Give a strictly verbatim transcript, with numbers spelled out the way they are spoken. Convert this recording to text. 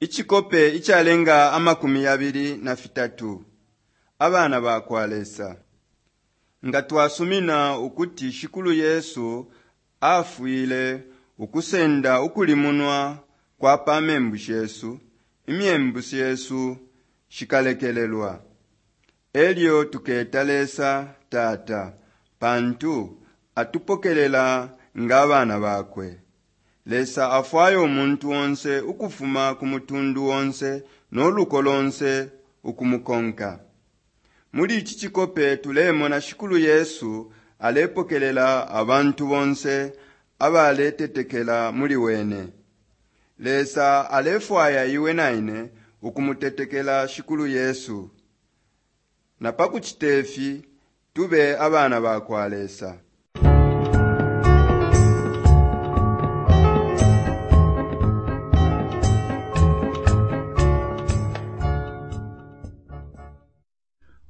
Icikope icalenga amakumi yabili na fitatu abana bakwa Lesa. Nga twasumina ukuti Shikulu Yesu afwile ukusenda ukulimunwa kwa pa membu shesu, imyembu shesu shikalekelelwa. Elyo tuketa Lesa Tata pantu atupokelela nga abana bakwe. Lesa afwaya umuntu onse ukufuma ku mutundu onse no luko lonse ukumukonka. Muli ici cikope tulemona Shikulu Yesu alepokelela abantu bonse abaletetekela muli wene. Lesa alefwaya iwe na ine ukumutetekela Shikulu Yesu. Na pa kucite fi tube abana bakwa Lesa.